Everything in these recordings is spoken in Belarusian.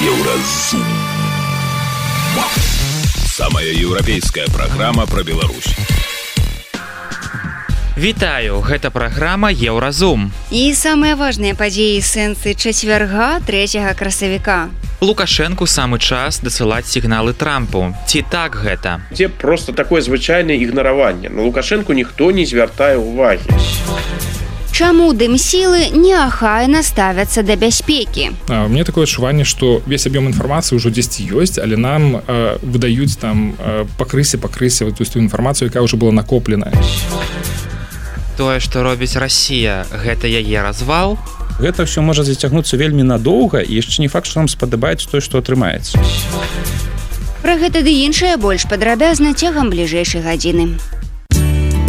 Еўразум. Самая еўрапейская праграма пра Беларусь. Вітаю, гэта праграма Еўразум. І самыя важныя падзеі сэнсы чацвярга 3 красавіка. Лукашэнку самы час дасылаць сігналы Трампу. Ці так гэта? Дзе просто такое звычайнае ігнараванне. На Лукашэнку ніхто не звяртае ўвагі. Чаму дымсілы неахайна ставяцца да бяспекі? У меня такое адчуванне, што весь аб'ём інфармацыі ўжо дзесьці ёсць, але нам выдаюць там пакрысе вот ту інфармацыю, якая ўжо была накопленая. Тое, што робіць Расія, гэта яе развал? Гэта ўсё можа зацягнуцца вельмі надоўга, і яшчэ не факт, што нам спадабаецца тое, што атрымаецца. Пра гэта ды іншае больш падрабязна цягам бліжэйшай гадзіны.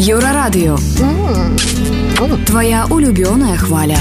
Еўрарадыё. Твоя улюбёная хваля.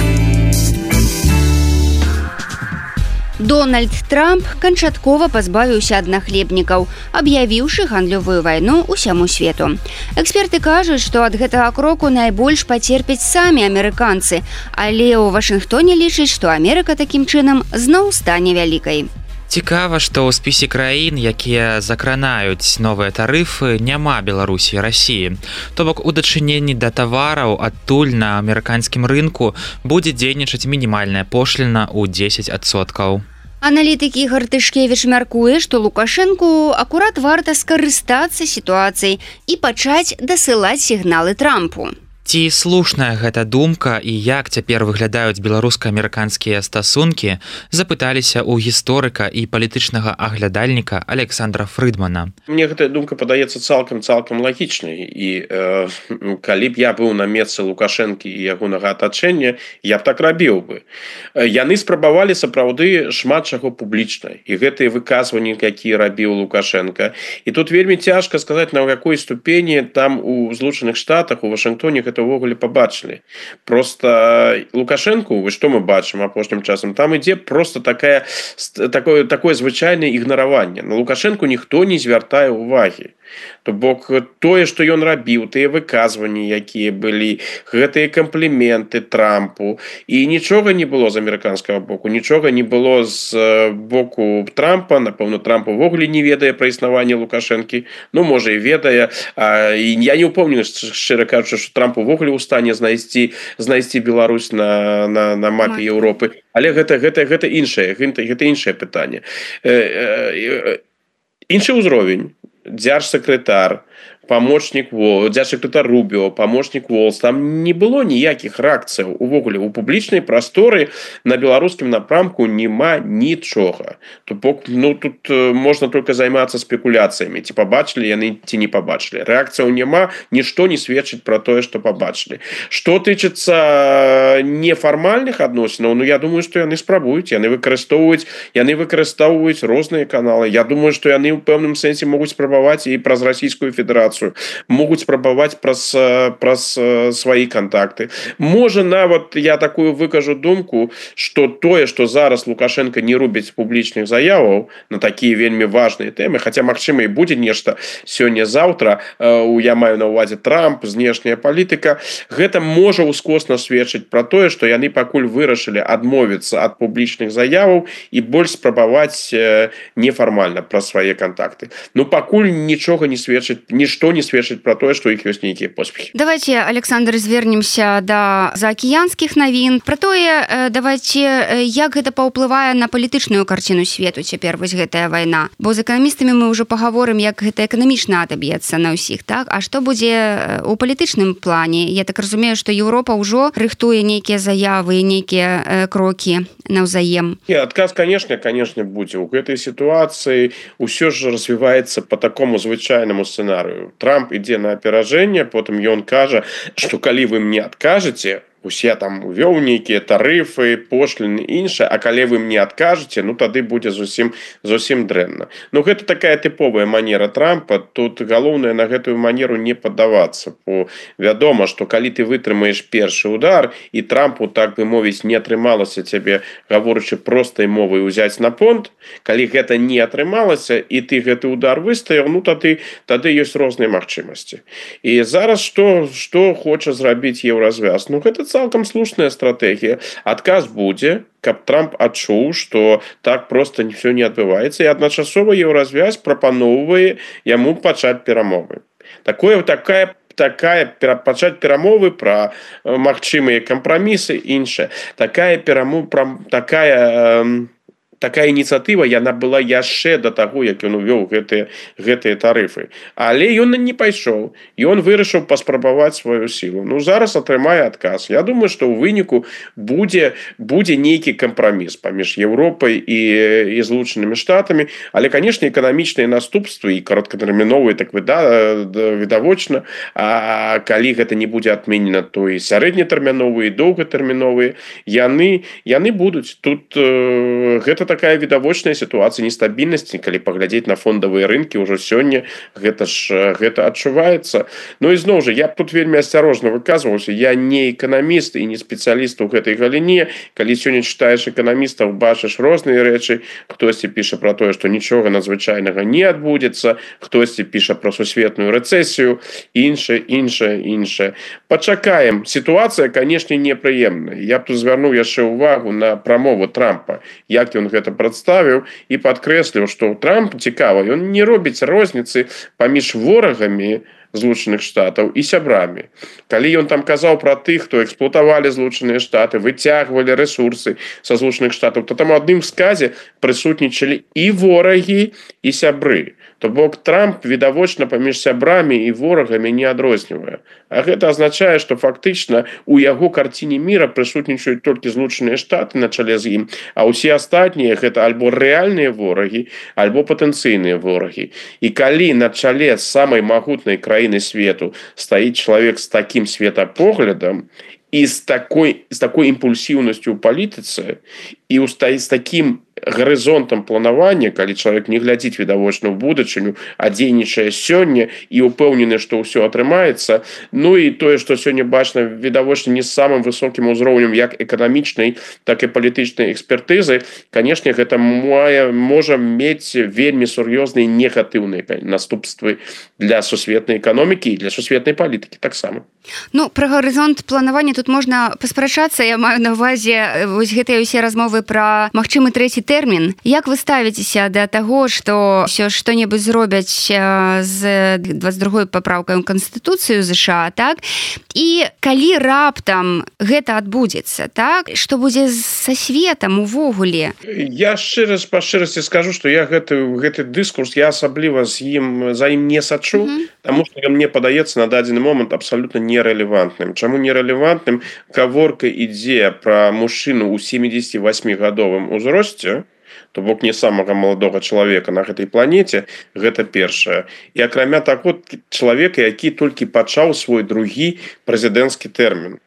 Дональд Трамп канчаткова пазбавіўся ад нахлебнікаў, аб'явіўшы гандлёвую вайну ўсяму свету. Эксперты кажуць, што ад гэтага кроку найбольш пацерпяць самі амерыканцы, але ў Вашынгтоне лічаць, што Амерыка такім чынам зноў стане вялікай. Цікава, што ў спісе краін, якія закранаюць новыя тарыфы, няма Беларусі і Расіі. То бок у дачыненні да тавараў адтуль на амерыканскім рынку будзе дзейнічаць мінімальная пошліна ў 10%. Аналітык Ігор Тышкевіч мяркуе, што Лукашэнку акурат варта скарыстацца сітуацыяй і пачаць дасылаць сігналы Трампу. Ці слушная гэта думка і як цяпер выглядаюць беларуска-амерыканскія стасункі, запыталіся ў гісторыка і палітычнага аглядальніка Александра Фрыдмана. Мне гэтая думка падаецца цалкам лагічнай. І калі б я быў на месцы Лукашэнкі і ягонага атачэння, я б так рабіў бы. Яны спрабавалі сапраўды шмат чаго публічна. І гэтыя выказванні, якія рабіў Лукашенка. І тут вельмі цяжка сказаць, на якой ступені там у Злучаных Штатах, у Вашынгтоне гэта ўвогуле пабачылі. Просто Лукашэнку, што мы бачым апошнім часам, там ідзе просто такое звычайнае ігнараванне. На Лукашэнку ніхто не звяртае ўвагі. То бок тое, што ён рабіў, тыя выказванні, якія былі, гэтыя кампліменты Трампу, і нічога не было з амерыканскага боку, нічога не было з боку Трампа. Напэўна, Трамп увогуле не ведае пра існаванне Лукашэнкі, ну, можа, і ведае. І я не ўпомню, шчыра кажучы, што Трамп увогуле ў стане знайсці Беларусь на мапе Еўропы. Але гэта іншае пытанне. Іншы ўзровень. Дзяржсакратар, дзяржсакратар Рубіо, памочнік Волс, там не было ніякіх рэакцыяў увогуле. У публічнай прасторы на беларускім напрамку няма нічога. То бок, тут можна толькі займацца спекуляцыямі. Ці пабачылі яны, ці не пабачылі. Рэакцыяў няма, нішто не сведчыць пра тое, што пабачылі. Што тычыцца нефармальных адносінаў, я думаю, што яны спрабуюць, яны выкарыстоўваюць розныя каналы. Я думаю, што яны ў пэўным сэнсе могуць спрабаваць і праз Расійскую Федэрацыю, могуць спрабаваць праз свае кантакты. Можа, нават я такую выкажу думку, што тое, што зараз Лукашенко не робіць публічных заяваў на такія вельмі важныя тэмы, хаця, магчыма, і будзе нешта сёння-заўтра, я маю на ўвазе Трамп, знешняя палітыка, гэта можа ускосна сведчыць пра тое, што яны пакуль вырашылі адмовіцца ад публічных заяваў і больш спрабаваць нефармальна пра свае кантакты. Пакуль нічога не сведчыць, нішто не сведчыць пра тое, што іх ёсць нейкія поспехі. Давайте, Александр, звернемся да заакіянскіх навін. Пра тое, давайте, як гэта паўплывае на палітычную карціну свету цяпер вось гэтая вайна. Бо з эканамістамі мы ўжо пагаворым, як гэта эканамічна адаб'ецца на ўсіх, так? А што будзе у палітычным плане? Я так разумею, што Еўропа ўжо рыхтуе нейкія заявы, нейкія крокі наўзаем. Адказ, конечно, будзе. У гэтай сітуацыі ўсё ж развіваецца по такому звычайнаму сцэнарыю. Трамп ідзе на аперажэнне, потым ён кажа, што калі вы мне адкажаце, усе там увёў нейкія тарыфы, пошліны і іншае, а калі вы мне адкажаце, тады будзе зусім дрэнна. Гэта такая тыповая манера Трампа. Тут галоўнае на гэтую манеру не паддавацца. Бо вядома, што калі ты вытрымаеш першы удар, і Трампу, так бы мовіць, не атрымалася цябе, гаворачы простай мовай, узяць на понт, калі гэта не атрымалася, і ты гэты удар выстаяў, тады ёсць розныя магчымасці. І зараз што хоча зрабіць Еўразвяз? Гэта цалкам слушная стратегія. Адказ будзе, каб Трамп адчуў, што так проста все не адбываецца, і адначасова еўразвязь прапаноўвае яму пачаць перамовы. Такая пачаць перамовы пра магчымыя кампрамісы, іншае. Такая ініцыятыва, яна была яшчэ да таго, як ён увёў гэтыя тарыфы. Але ён не пайшоў. Ён вырашыў паспрабаваць сваю сілу. Зараз атрымае адказ. Я думаю, што ў выніку будзе нейкі кампраміс паміж Еўропай і Злучанымі Штатамі. Але, канешне, эканамічныя наступствы і кароткатэрміновыя так відавочна. А калі гэта не будзе адменена, то і сярэднетэрміновыя, і доўгатэрміновыя, яны будуць. Тут гэта такая відавочная сітуацыя нестабільнасці, калі паглядзець на фондавыя рынкі ўжо сёння гэта адчуваецца. І зноў жа, я б тут вельмі асцярожна выказваўся. Я не эканаміст і не спецыяліст у гэтай галіне. Калі сёння чытаеш эканамістаў, бачыш розныя рэчы. Хтосьці піша пра тое, што нічога надзвычайнага не адбудзецца, хтосьці піша пра сусветную рэцэсію, іншае. Пачакаем. Сітуацыя, канешне, непрыемная. Я б тут звярнуў яшчэ ўвагу на прамову Трампа, як ён гэта прадставіў і падкрэсліў, што Трамп цікава, ён не робіць розніцы паміж ворагамі Злучаных Штатаў і сябрамі. Калі ён там казаў пра тых, хто эксплуатавалі Злучаныя Штаты, выцягвалі рэсурсы са Злучаных Штатаў, то там у адным сказе прысутнічалі і ворагі, і сябры. То бок Трамп відавочна паміж сябрамі і ворагамі не адрознівае. А гэта азначае, што фактычна у яго карціне міра прысутнічаюць толькі Злучаныя Штаты на чале з ім, а ўсе астатнія гэта альбо рэальныя ворагі, альбо патэнцыйныя ворагі. І калі на чале самай магутнай краіны свету стаіць чалавек з такім светапоглядам і з такой імпульсіўнасцю ў палітыцы і з такім гарызонтам планавання, калі чалавек не глядзіць відавочна ў будучыню, а дзейнічае сёння і ўпэўнены, што ўсё атрымаецца. І тое, што сёння бачна відавочна не з самым высокім узроўнем як эканамічнай, так і палітычнай экспертызы, канешне, гэта можа мець вельмі сур'ёзныя негатыўныя наступствы для сусветнай эканомікі і для сусветнай палітыкі таксама. Пра гарызонт планавання тут можна паспрачацца. Я маю на ўвазе вось гэтыя ўсе размовы пра магчымы трэці тэрмін. Як вы ставіцеся да таго, што што-небудзь зробяць з 22-й папраўкай у Канстытуцыю ЗША, так? І калі раптам гэта адбудзецца, так? Што будзе са светам увогуле? Я па шчырасці скажу, што я гэты дыскурс, я асабліва за ім не сачу, таму што мне падаецца на дадзены момант абсалютна нерэлевантным. Чаму нерэлевантным? Гаворка ідзе пра мужчыну ў 78-гадовым узросце, то бок не самага маладога чалавека на гэтай планеце, гэта першае. І акрамя таго, чалавека, які толькі пачаў свой другі прэзідэнцкі тэрмін.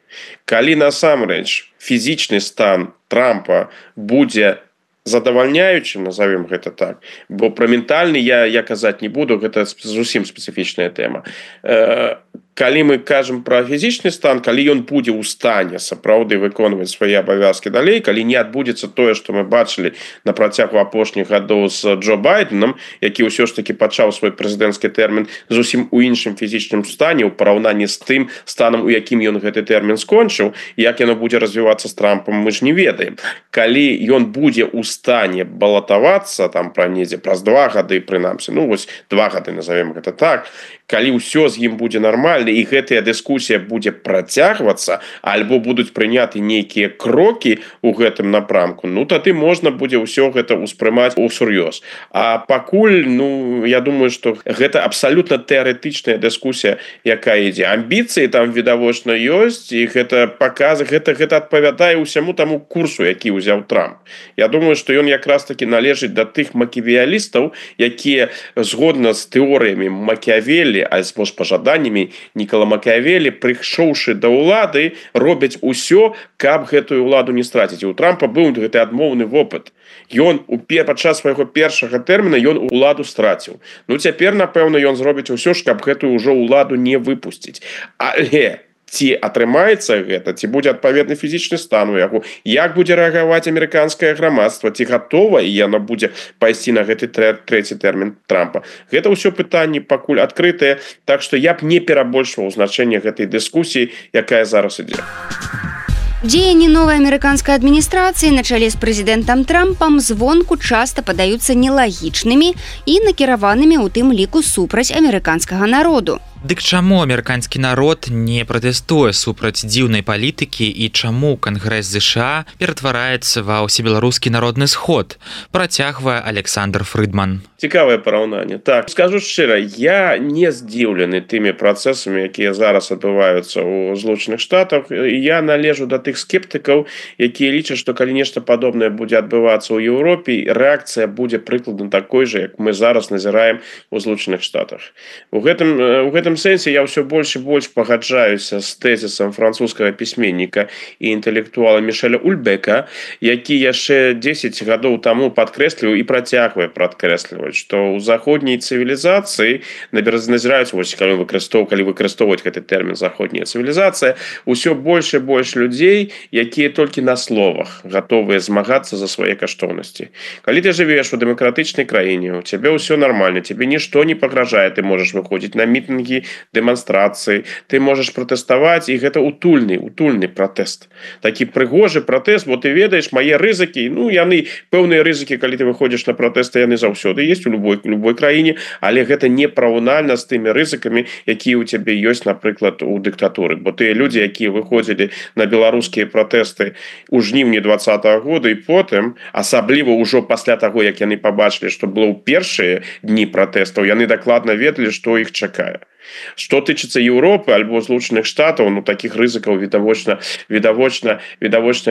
Калі насамрэч фізічны стан Трампа будзе задавальняючым, назовем гэта так, бо пра ментальны я казаць не буду, гэта зусім спецыфічная тэма. Калі мы кажам пра фізічны стан, калі ён будзе ў стане сапраўды выконваць свае абавязкі далей, калі не адбудзецца тое, што мы бачылі на працягу апошніх гадоў з Джо Байденам, які ўсё ж такі пачаў свой прэзідэнцкі тэрмін зусім у іншым фізічным стане ў параўнанні з тым станам, у якім ён гэты тэрмін скончыў, як яно будзе развівацца з Трампам, мы ж не ведаем. Калі ён будзе ў стане балатавацца там праз 2 гады, прынамсі, 2 гады, назовем гэта так, калі ўсё з ім будзе нармальна і гэтая дыскусія будзе працягвацца, альбо будуць прыняты нейкія крокі ў гэтым напрамку, тады можна будзе ўсё гэта ўспрымаць усур'ёз. А пакуль, я думаю, што гэта абсалютна тэарэтычная дыскусія, якая ідзе. Амбіцыі там відавочна ёсць, і гэта адпавядае ўсяму таму курсу, які ўзяў Трамп. Я думаю, што ён якраз такі належыць да тых макіавелістаў, якія згодна з тэорыямі Макіавелі, альбо з пажаданнямі Нікола Макіавелі, прыйшоўшы да ўлады, робяць усё, каб гэтую ўладу не страціць. У Трампа быў гэты адмоўны вопыт. Ён падчас свайго першага тэрміна ён уладу страціў. Цяпер, напэўна, ён зробіць усё ж, каб гэтую ўжо ўладу не выпусціць. Але ці атрымаецца гэта, ці будзе адпаведны фізічны стан у яго, як будзе рэагаваць амерыканскае грамадства, ці гатова і яно будзе пайсці на гэты трэці тэрмін Трампа. Гэта ўсё пытанні пакуль адкрытыя, так што я б не перабольшваў значэнне гэтай дыскусіі, якая зараз ідзе. Дзеянні новай амерыканскай адміністрацыі на чале з прэзідэнтам Трампам звонку часта падаюцца нелагічнымі і накіраванымі ў тым ліку супраць амерыканскага народу. Дык чаму амерыканскі народ не пратэстуе супраць дзіўнай палітыкі і чаму Кангрэс ЗША ператвараецца ва ўсебеларускі народны сход, працягвае Александр Фрыдман. Цікавае параўнанне. Так, скажу шчыра, я не здзіўлены тымі працэсамі, якія зараз адбываюцца ў Злучаных Штатах. Я належу да тых скептыкаў, якія лічаць, што калі нешта падобнае будзе адбывацца ў Еўропе, рэакцыя будзе прыкладна такой жа, як мы зараз назіраем у Злучаных Штатах. У гэтым сэнсе я ўсё больш і больш пагаджаюся з тэзісам французскага пісьменніка і інтэлектуала Мішэля Ульбека, які яшчэ 10 гадоў таму падкрэсліваў і працягвае падкрэсліваць, што ў заходняй цывілізацыі назіраюць, калі выкарыстоўваць гэты тэрмін заходняя цывілізацыя, усё больш і больш людзей, якія толькі на словах гатовыя змагацца за свае каштоўнасці. Калі ты жывеш у дэмакратычнай краіне, у цябе ўсё нармальна, цябе нішто не пагражае, ты можаш выходзіць на мітынгі, дэманстрацыі, ты можаш пратэставаць, і гэта утульны пратэст. Такі прыгожы пратэст, бо ты ведаеш мае рызыкі, яны пэўныя рызыкі, калі ты выходзіш на пратэсты, яны заўсёды ёсць у любой краіне, але гэта не параўнальна з тымі рызыкамі, якія ў цябе ёсць, напрыклад, у дыктатуры. Бо тыя людзі, якія выходзілі на беларускія пратэсты ў жніўні 2020 года і потым, асабліва ўжо пасля таго, як яны пабачылі, што было ў першыя дні пратэстаў, яны дакладна ведалі, што іх чакае. Што тычыцца Еўропы альбо Злучаных Штатаў, такіх рызыкаў відавочна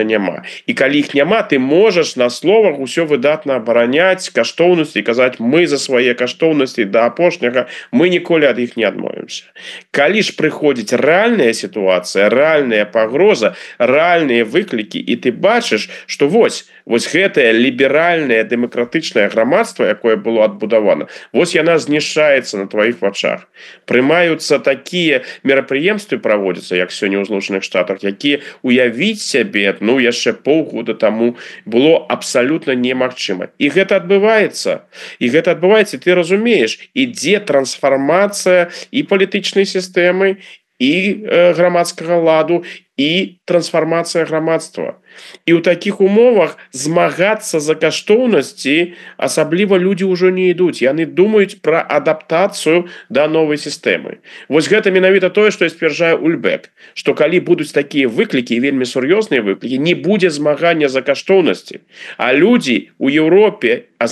няма. І калі іх няма, ты можаш на словах усё выдатна абараняць каштоўнасці і казаць, мы за свае каштоўнасці да апошняга, мы ніколі ад іх не адмовімся. Калі ж прыходзіць рэальная сітуацыя, рэальная пагроза, рэальныя выклікі, і ты бачыш, што вось гэтае ліберальнае дэмакратычнае грамадства, якое было адбудавана, вось яна знішчаецца на тваіх вачах. Прымаюцца такія мерапрыемствы праводзяцца, як сёння ў Злучаных Штатах, якія уявіць сябе, яшчэ паўгода таму было абсалютна немагчыма. І гэта адбываецца. І ты разумееш, ідзе трансфармацыя і палітычнай сістэмы, і грамадскага ладу, і трансфармацыя грамадства. І ў такіх умовах змагацца за каштоўнасці асабліва людзі ўжо не ідуць. Яны думаюць пра адаптацыю да новай сістэмы. Вось гэта менавіта тое, што сцвярджае Ульбек, што калі будуць такія выклікі, вельмі сур'ёзныя выклікі, не будзе змагання за каштоўнасці. А людзі ў Еўропе, а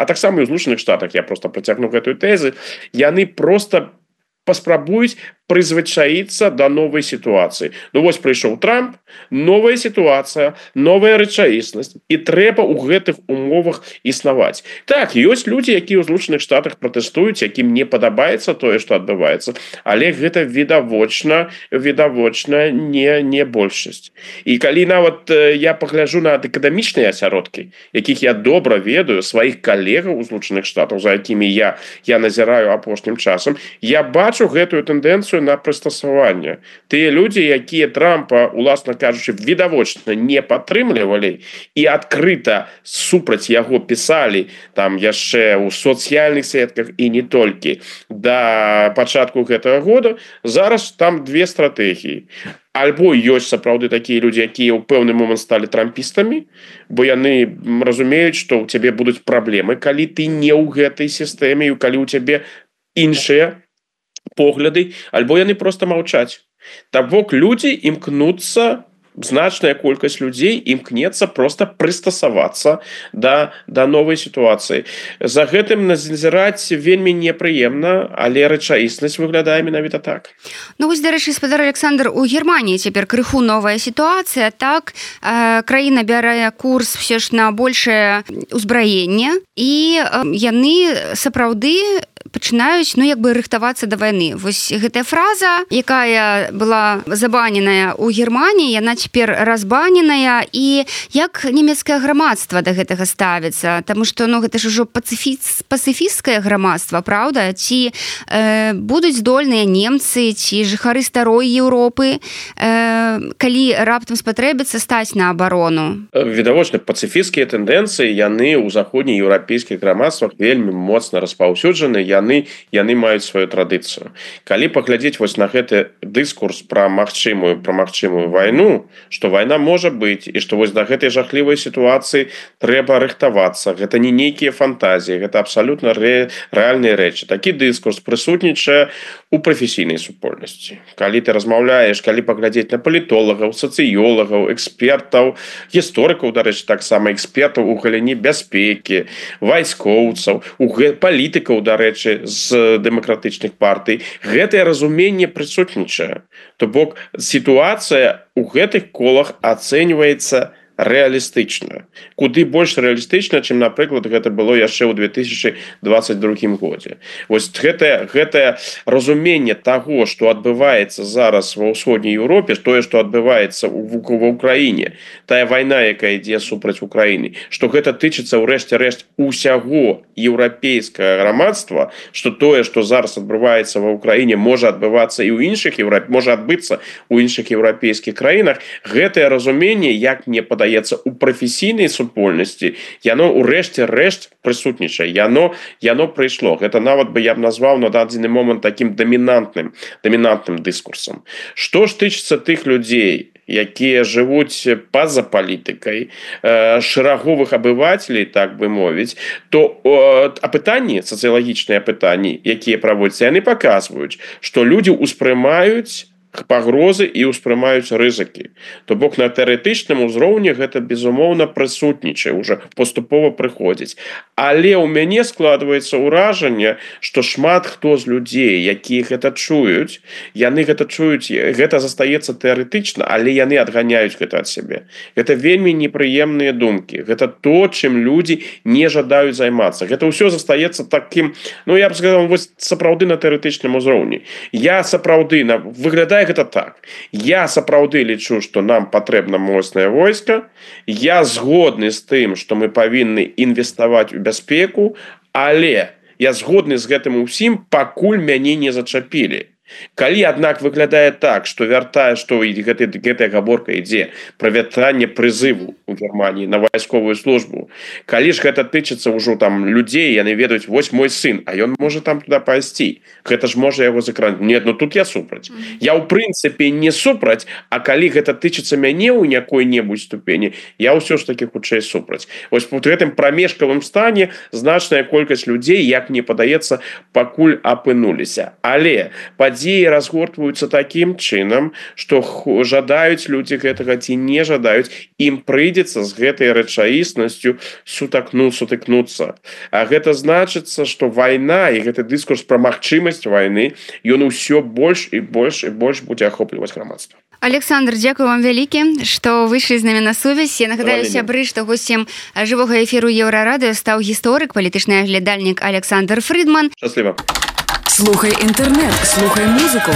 таксама і ў Злучаных Штатах, я проста працягну гэтую тэзу, яны проста паспрабуюць прызвычаіцца да новай сітуацыі. Вось прыйшоў Трамп, новая сітуацыя, новая рэчаіснасць, і трэба ў гэтых умовах існаваць. Так, ёсць людзі, якія ў Злучаных Штатах пратэстуюць, якім не падабаецца тое, што адбываецца, але гэта відавочна не большасць. І калі нават я пагляджу на акадэмічныя асяродкі, якіх я добра ведаю, сваіх калегаў у Злучаных Штатах, за якімі я назіраю апошнім часам, я бачу гэтую тэндэнцыю на прыстасаванне. Тыя людзі, якія Трампа, уласна кажучы, відавочна не падтрымлівалі і адкрыта супраць яго пісалі там яшчэ ў соцыяльных сетках і не толькі да пачатку гэтага года, зараз там две стратэгіі. Альбо ёсць сапраўды такія людзі, якія ў пэўны момант сталі трампістамі, бо яны разумеюць, што ў цябе будуць праблемы, калі ты не ў гэтай сістэме, і калі ў цябе іншыя погляды, альбо яны проста маўчаць. То бок людзі імкнуцца, значная колькасць людзей імкнецца проста прыстасавацца да новай сітуацыі. За гэтым назіраць вельмі непрыемна, але рэчаіснасць выглядае менавіта так. Вось, дарэчы, спадар Александр, у Германіі цяпер крыху новая сітуацыя, так? Краіна бярэ курс все ж на большае ўзбраенне, і яны сапраўды пачынаюць, рыхтавацца да вайны. Вось гэтая фраза, якая была забаненая ў Германіі, яна цяпер разбаненая, і як нямецкае грамадства да гэтага ставіцца? Таму што, гэта ж ужо пацыфісцкае грамадства, праўда? Ці будуць здольныя немцы, ці жыхары старой Еўропы, калі раптам спатрэбіцца стаць на абарону? Відавочна, пацыфісцкія тэндэнцыі, яны ў заходнееўрапейскіх грамадствах вельмі моцна распаўсюджаны, яны яны маюць сваю традыцыю. Калі паглядзець вось на гэты дыскурс пра магчымую вайну, што вайна можа быць і што вось да гэтай жахлівай сітуацыі трэба рыхтавацца, гэта не нейкія фантазіі, гэта абсалютна рэальныя рэчы. Такі дыскурс прысутнічае у прафесійнай супольнасці. Калі ты размаўляеш, калі паглядзець на палітолагаў, сацыёлагаў, экспертаў, гісторыкаў, дарэчы, таксама экспертаў у галіне бяспекі, вайскоўцаў, палітыкаў, дарэчы, з дэмакратычных партый, гэтае разуменне прысутнічае. То бок сітуацыя у гэтых колах ацэньваецца рэалістычна. Куды больш рэалістычна, чым, напрыклад, гэта было яшчэ ў 2022 годзе. Вось гэтае разуменне таго, што адбываецца зараз ва ўсходняй Еўропе, тое, што адбываецца ва ўкраіне, тая вайна, якая ідзе супраць Украіны, што гэта тычыцца ў рэшце-рэшт усяго еўрапейскага грамадства, што тое, што зараз адбываецца ва ўкраіне, можа адбывацца і ў іншых можа адбыцца ў іншых еўрапейскіх краінах, гэтае разуменне, як мне падаецца, у прафесійнай супольнасці, яно ў рэшце-рэшт прысутнічае, яно прыйшло. Гэта нават бы я б назваў на дадзены момант такім дамінантным дыскурсам. Што ж тычыцца тых людзей, якія жывуць па-за палітыкай, шэраговых абывацелей, так бы мовіць, то апытанні, сацыялагічныя апытанні, якія праводзяцца, яны паказваюць, што людзі ўспрымаюць пагрозы і ўспрымаюць рызыкі. То бок на тэарэтычным узроўні гэта, безумоўна, прысутнічае, уже паступова прыходзіць. Але ў мяне складваецца ўражанне, што шмат хто з людзей, якія гэта чуюць, гэта застаецца тэарэтычна, але яны адганяюць гэта ад сябе. Гэта вельмі непрыемныя думкі. Гэта то, чым людзі не жадаюць займацца. Гэта ўсё застаецца такім, я б сказаў, сапраўды на тэарэтычным узроўні. Выглядае гэта так. Я сапраўды лічу, што нам патрэбна моцнае войска. Я згодны з тым, што мы павінны інвеставаць у бяспеку, але я згодны з гэтым усім, пакуль мяне не зачапілі. Калі, аднак, выглядае так, што гэтая гаворка ідзе пра вяртанне прызыву ў Германіі на вайсковую службу, калі ж гэта тычыцца ўжо там людзей, яны ведаюць, вось мой сын, а ён можа там туды пайсці, гэта ж можа яго закрануць. Не, тут я супраць. Я ў прынцыпе не супраць, а калі гэта тычыцца мяне ў якой-небудзь ступені, я ўсё ж такі хутчэй супраць. Вось у гэтым прамежкавым стане значная колькасць людзей, як мне падаецца, пакуль апынуліся. Але падзеі разгортваюцца такім чынам, што жадаюць людзі гэтага ці не жадаюць, ім прыйдзецца з гэтай рэчаіснасцю сутыкнуцца. А гэта значыцца, што вайна і гэты дыскурс пра магчымасць вайны, ён усё больш і больш будзе ахопліваць грамадства. Александр, дзякую вам вялікі, што выйшлі з намі на сувязь. Я нагадаю сябры, што госцем жывога эфіру Еўрарадыё стаў гісторык, палітычны аглядальнік Александр Фрыдман. Шчасліва. Слухай інтэрнэт, слухай музыку.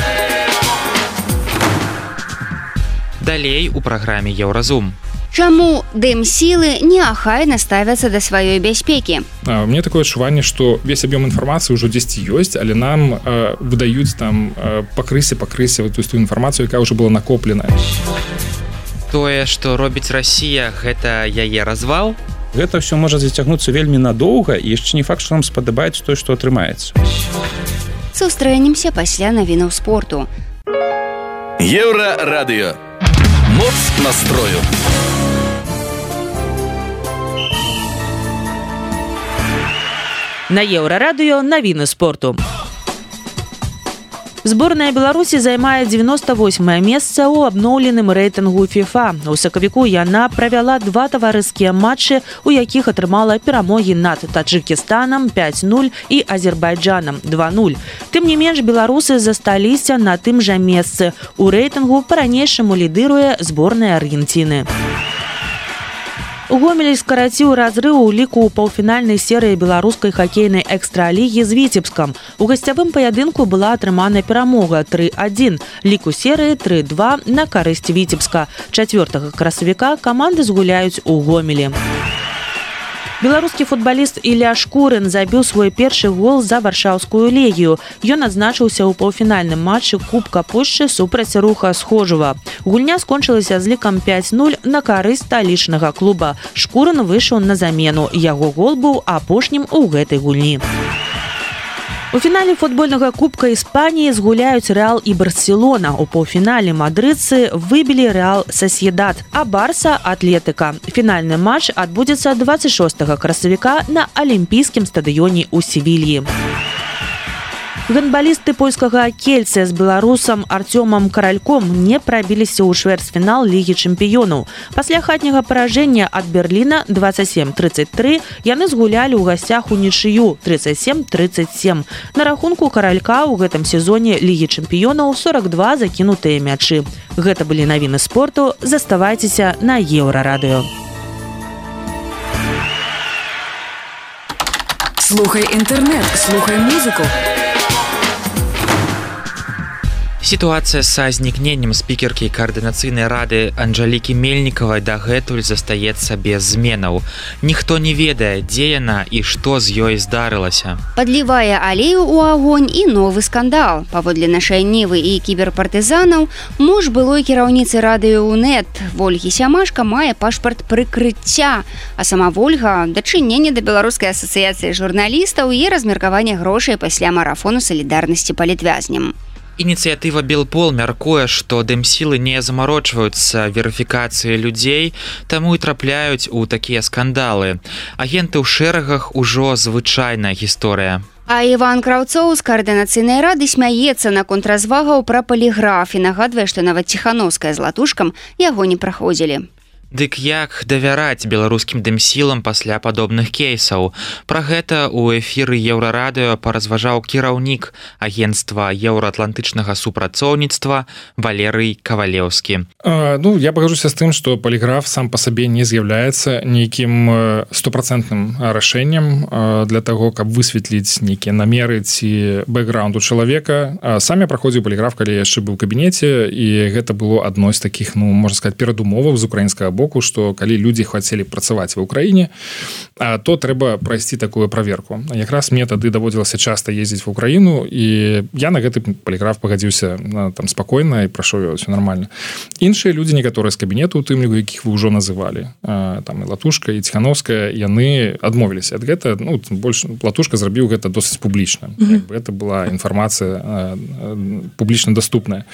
Далей у праграме Еўразум. Чаму дэм-сілы неахайна ставяцца да сваёй бяспекі? У меня такое адчуванне, што весь аб'ём інфармацыі ўжо дзесьці ёсць, але нам выдаюць там пакрысе ту інфармацыю, якая ўжо была накопленая. Тое, што робіць Расія, гэта яе развал? Гэта ўсё можа зацягнуцца вельмі надоўга, і яшчэ не факт, што нам спадабаецца тое, што атрымаецца. Сустрэнемся пасля навінаў спорту. Еўрарадыё. Моц настрою. На Еўрарадыё навіны спорту. Зборная Беларусі займае 98е месца ў абноўленым рэйтынгу FIFA. У сакавіку яна правяла 2 таварыскія матчы, у якіх атрымала перамогі над Таджыкістанам 5-0 і Азербайджанам 2-0. Тым не менш, беларусы засталіся на тым жа месцы. У рэйтынгу па-ранейшаму лідыруе зборная Аргенціны. Гомель скараціў разрыў у ліку ў паўфінальнай серыі беларускай хакейнай экстралігі з Віцебскам. У гасцявым паядынку была атрымана перамога 3-1. Лік у серыі 3-2 на карысць Віцебска. 4 красавіка каманды згуляюць у Гомелі. Беларускі футбаліст Ілля Шкурын забіў свой першы гол за варшаўскую легію. Ён адзначыўся ў паўфінальным матчы Кубка Польшчы супраць Руха Схожува. Гульня скончылася з лікам 5-0 на карысць сталічнага клуба. Шкурын выйшаў на замену. Яго гол быў апошнім у гэтай гульні. У фінале футбольнага кубка Іспаніі згуляюць Рэал і Барселона. У паўфінале мадрыдцы выбілі Рэал Сосьедад, а Барса Атлетыка. Фінальны матч адбудзецца 26 красавіка на алімпійскім стадыёне ў Севільі. Гандбалісты польскага Кельце з беларусам Артёмам Каральком не прабіліся ў чвэрцьфінал Лігі чэмпіёнаў. Пасля хатняга паражэння ад Берліна 27-33 яны згулялі ў гасцях унічыю 37-37. На рахунку Каралька ў гэтым сезоне Лігі чэмпіёнаў 42 закінутыя мячы. Гэта былі навіны спорту. Заставайцеся на Еўрарадыё. Слухай інтэрнэт, слухай музыку. Сітуацыя са знікненнем спікеркі каардынацыйнай рады Анжалікі Мельнікавай дагэтуль застаецца без зменаў. Ніхто не ведае, дзе яна і што з ёй здарылася. Падлівае алею ў агонь і новы скандал. Паводле нашай Нівы і кіберпартызанаў, муж былой кіраўніцы радыё УНэТ Вольгі Сямашка мае пашпарт прыкрыцця, а сама Вольга дачыненне да Беларускай асацыяцыі журналістаў і размеркаванне грошай пасля марафону салідарнасці палітвязням. Ініцыятыва Белпол мяркуе, што дэмсілы не замарочваюцца верыфікацыі людзей, таму і трапляюць у такія скандалы. Агенты ў шэрагах ужо звычайная гісторыя. А Іван Краўцоў з каардынацыйнай рады смяецца наконт развагаў пра паліграф і нагадвае, што нават Ціхановская з Латушкам яго не праходзілі. Дык як давяраць беларускім дэмсілам пасля падобных кейсаў? Пра гэта ў эфіры Еўрарадыё паразважаў кіраўнік агенцтва еўраатлантычнага супрацоўніцтва Валерый Кавалеўскі. Я пагажуся з тым, што паліграф сам па сабе не з'яўляецца нейкім 100% рашэннем для таго, каб высветліць нейкія намеры ці бэкграунду чалавека. Сам я праходзіў паліграф, калі я яшчэ быў у кабінеце, і гэта было адной з такіх, можна сказаць, перадумоваў з украінскага боку, што калі людзі хацелі працаваць ва ўкраіне, то трэба прайсці такую праверку. Якраз мне тады даводзілася часта ездзіць ва ўкраіну, і я на гэты паліграф пагадзіўся там спакойна і прайшоў яго ўсё нармальна. Іншыя людзі, некаторыя з кабінету, у тым ліку, якіх вы ўжо называлі, там і Латушка, і Ціхановская, яны адмовіліся ад гэта. Больш Латушка зрабіў гэта досыць публічна. Гэта была інфармацыя публічна даступная.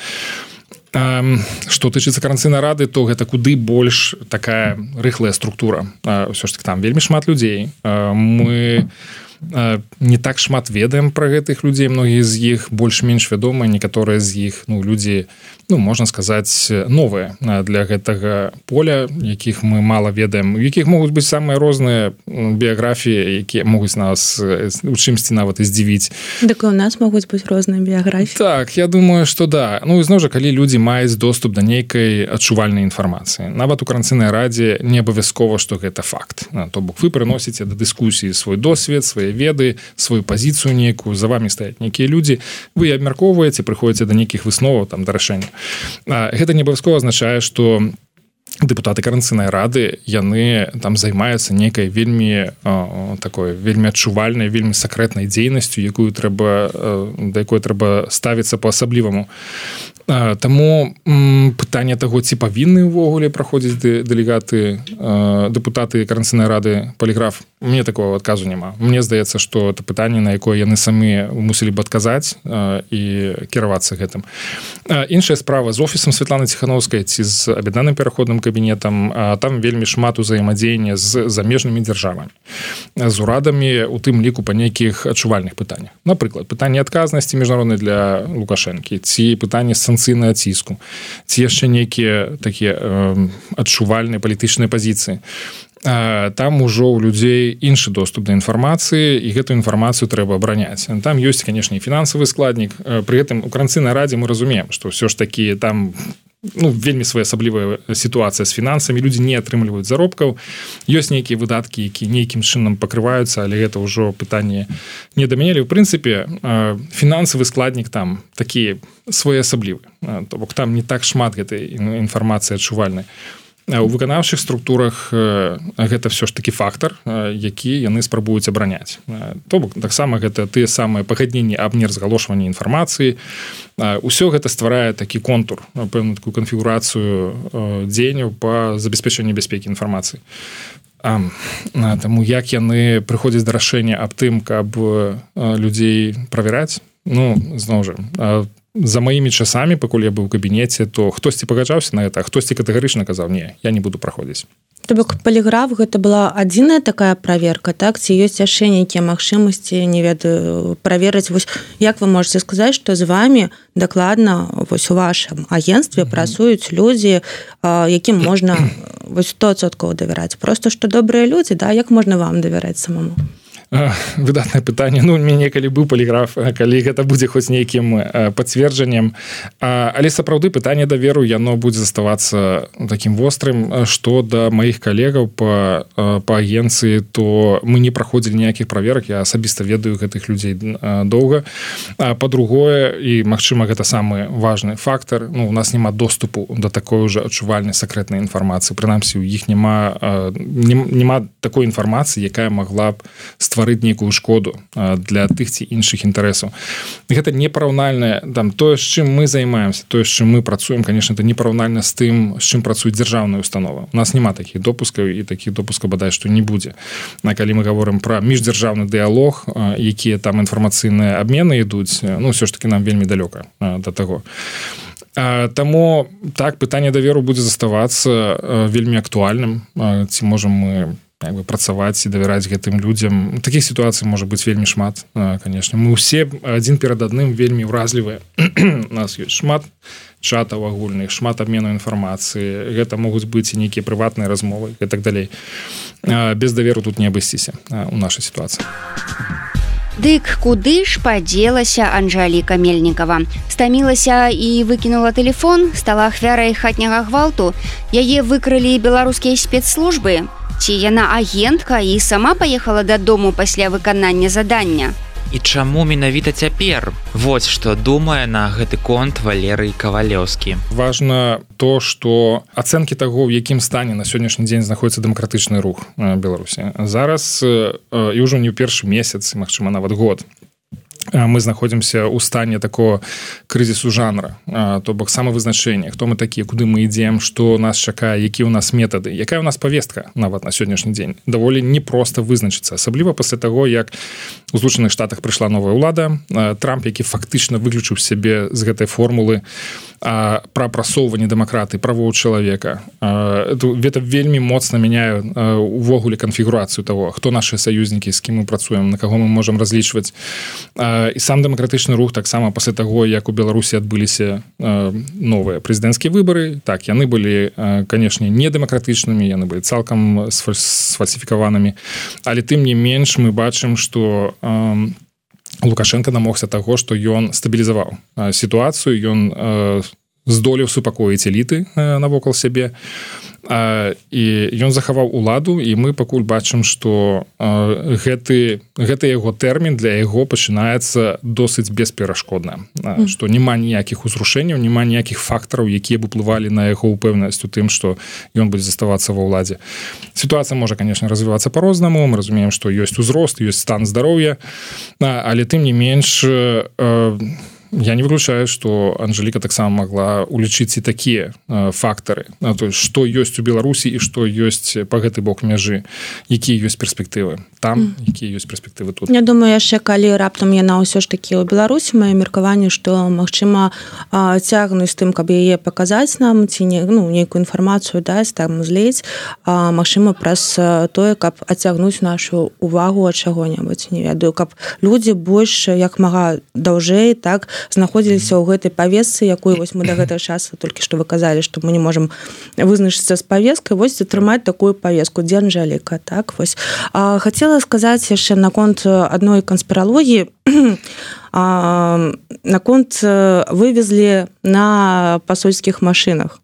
Што тычыцца каранцыйнай рады, то гэта куды больш такая рыхлая структура. Ўсё ж таки там вельмі шмат людзей. Мы не так шмат ведаем пра гэтых людзей, многія з іх больш-менш вядомыя, некаторыя з іх людзі, можна сказаць, новыя для гэтага поля, якіх мы мала ведаем, у якіх могуць быць самыя розныя біяграфіі, якія могуць нас у чымсьці нават і здзівіць. Так і у нас могуць быць розныя біяграфіі. Так, я думаю, што да. І зноў жа, калі людзі маюць доступ да нейкай адчувальнай інфармацыі. Нават у каранцыйнай радзе не абавязкова, што гэта факт. То бок вы прыносіце да дыскусіі свой досвед, свае веды, сваю пазіцыю нейкую, за вамі стаяць нейкія людзі, вы абмяркоўваеце, прыходзіце да нейкіх высноваў, там, да рашэння. Гэта не абавязкова азначае, што дэпутаты каранцыйнай рады, яны там займаюцца нейкай вельмі такой вельмі адчувальнай, вельмі сакрэтнай дзейнасцю, да якой трэба ставіцца па-асабліваму. Таму пытанне таго, ці павінны ўвогуле праходзіць дэпутаты каранцыйнай рады паліграф, мне такого адказу няма. Мне здаецца, што это пытанне, на якое яны самі мусілі б адказаць і кіравацца гэтым. Іншая справа з офісам Святланы Ціхановскай ці з аб'яднаным пераходным кабінетам, там вельмі шмат узаемадзеяння з замежнымі дзяржавамі, з урадамі, у тым ліку па нейкіх адчувальных пытаннях. Напрыклад, пытанне адказнасці міжнароднай для Лукашэнкі, ці пытанне санкцыйнага ціску, ці яшчэ нейкія такія адчувальныя палітычныя пазіцыі. Там ужо ў людзей іншы доступ да інфармацыі, і гэту інфармацыю трэба абараняць. Там ёсць, канешне, і фінансавы складнік. Пры гэтым у каранцыйнай радзе мы разумеем, што ўсё ж такі там вельмі своеасаблівая сітуацыя з фінансамі, людзі не атрымліваюць заробкаў, ёсць нейкія выдаткі, якія нейкім чынам пакрываюцца, але гэта ўжо пытанне не да мяне. У прынцыпе, фінансавы складнік там такі своеасаблівы, то бок там не так шмат гэтай інфармацыі адчувальнай. У выканаўчых структурах гэта ўсё ж такі фактар, які яны спрабуюць абараняць. То бок таксама гэта тыя самыя пагадненні аб неразгалошванні інфармацыі. Усё гэта стварае такі контур, пэўную такую канфігурацыю дзеянняў па забеспячэнні бяспекі інфармацыі. Таму як яны прыходзяць да рашэння аб тым, каб людзей правяраць, ну зноў жа за маімі часамі, пакуль я быў у кабінеце, то хтосьці пагаджаўся на гэта, а хтосьці катэгарычна казаў: не, я не буду праходзіць. То бок паліграф гэта была адзіная такая праверка, так? Ці ёсць яшчэ нейкія магчымасці, не ведаю, праверыць, вось як вы можете сказаць, што з вами дакладна вось у вашым агенцтве працуюць людзі, якім можна вось 100% давяраць. Просто што добрыя людзі, да, як можна вам давяраць самому? Выдатнае пытанне. Ну, у мяне калі быў паліграф, калі гэта будзе хоць нейкім пацверджаннем, але сапраўды пытанне даверу яно будзе заставацца такім вострым. Што да маіх калегаў па агенцыі, то мы не праходзілі ніякіх праверак, я асабіста ведаю гэтых людзей доўга. Па-другое, і магчыма гэта самы важны фактар, ну, у нас няма доступу да такой уже адчувальнай сакрэтнай інфармацыі, прынамсі у іх няма такой інфармацыі, якая магла б стварыць нейкую шкоду для тых ці іншых інтарэсаў. Гэта непараўнальна, там, тое, з чым мы займаемся, тое, з чым мы працуем, конечно, это непараўнальна з тым, з чым працуюць дзяржаўныя установы. У нас няма такіх допускаў, і такіх допускаў бадай што не будзе. Калі мы гаворым пра міждзяржаўны дыялог, якія там інфармацыйныя абмены ідуць, ну, ўсё ж таки нам вельмі далёка да таго. Таму так, пытанне даверу будзе заставацца вельмі актуальным. Ці можам мы працаваць і давяраць гэтым людзям. Такіх сітуацый можа быць вельмі шмат, конечно. Мы ўсе адзін перад адным вельмі ўразлівыя. У нас ёсць шмат чатаў агульных, шмат абмену інфармацыі. Гэта могуць быць і нейкія прыватныя размовы і так далей. Без даверу тут не абысціся у нашай сітуацыі. Дык куды ж падзелася Анжэліка Мельнікава? Стамілася і выкінула тэлефон, стала ахвярай хатняга гвалту. Яе выкрылі беларускія спецслужбы? Ці яна агентка і сама паехала дадому пасля выканання задання? І чаму менавіта цяпер? Вось што думае на гэты конт Валерый Кавалеўскі. Важна то, што ацэнкі таго, ў якім стане на сённяшні дзень знаходзіцца дэмакратычны рух Беларусі. Зараз і ўжо не ў першы месяц, магчыма, нават год, мы знаходзімся ў стане такого крызісу жанра, то бок самавызначэння, хто мы такія, куды мы ідзем, што нас чакае, якія ў нас метады, якая ў нас павестка нават на сённяшні дзень. Даволі непроста вызначыцца, асабліва пасля таго, як у Злучаных Штатах прыйшла новая ўлада, Трамп, які фактычна выключыў сябе з гэтай формулы пра прасоўванне дэмакратыі, правоў чалавека. Гэта вельмі моцна мяняе увогуле канфігурацыю таго, хто нашыя саюзнікі, з кім мы працуем, на каго мы можам разлічваць. І сам дэмакратычны рух таксама пасля таго, як у Беларусі адбыліся новыя прэзідэнцкія выбары, так, яны былі, канешне, не дэмакратычнымі, яны былі цалкам сфальсіфікаванымі, але тым не менш мы бачым, што Лукашенко намогся таго, што ён стабілізаваў сітуацыю, ён здолеў супакоіць эліты навокал сябе, і ён захаваў уладу, і мы пакуль бачым, што гэты яго тэрмін для яго пачынаецца досыць бесперашкодна, што няма ніякіх узрушэнняў, няма ніякіх фактараў, якія б уплывалі на яго ўпэўненасць у тым, што ён будзе заставацца ва ўладзе. Сітуацыя можа, конечно, развівацца па-рознаму, мы разумеем, што ёсць узрост, ёсць стан здароўя, але тым не менш я не выключаю, што Анжэліка таксама магла улічыць і такія фактары, то есть, што ёсць у Беларусі і што ёсць па гэты бок мяжы, якія ёсць перспектывы там, якія ёсць перспектывы тут. Я думаю, яшчэ калі раптам яна ўсё ж такі ў Беларусі, маё меркаванне, што магчыма цягнуць тым, каб яе паказаць нам, ці нейкую інфармацыю даць, там злець, магчыма праз тое, каб адцягнуць нашу увагу ад чаго-небудзь, не ведаю, каб людзі больш як мага даўжэй, так, знаходзіліся ў гэтай павесцы, якую вось мы да гэтага часу толькі што вы казалі, што мы не можам вызначыцца з павескай, вось атрымаць такую павеску, дзе Анжэліка, так, вось. Хацела сказаць яшчэ наконт адной канспіралогіі, наконт вывезлі на пасольскіх машынах.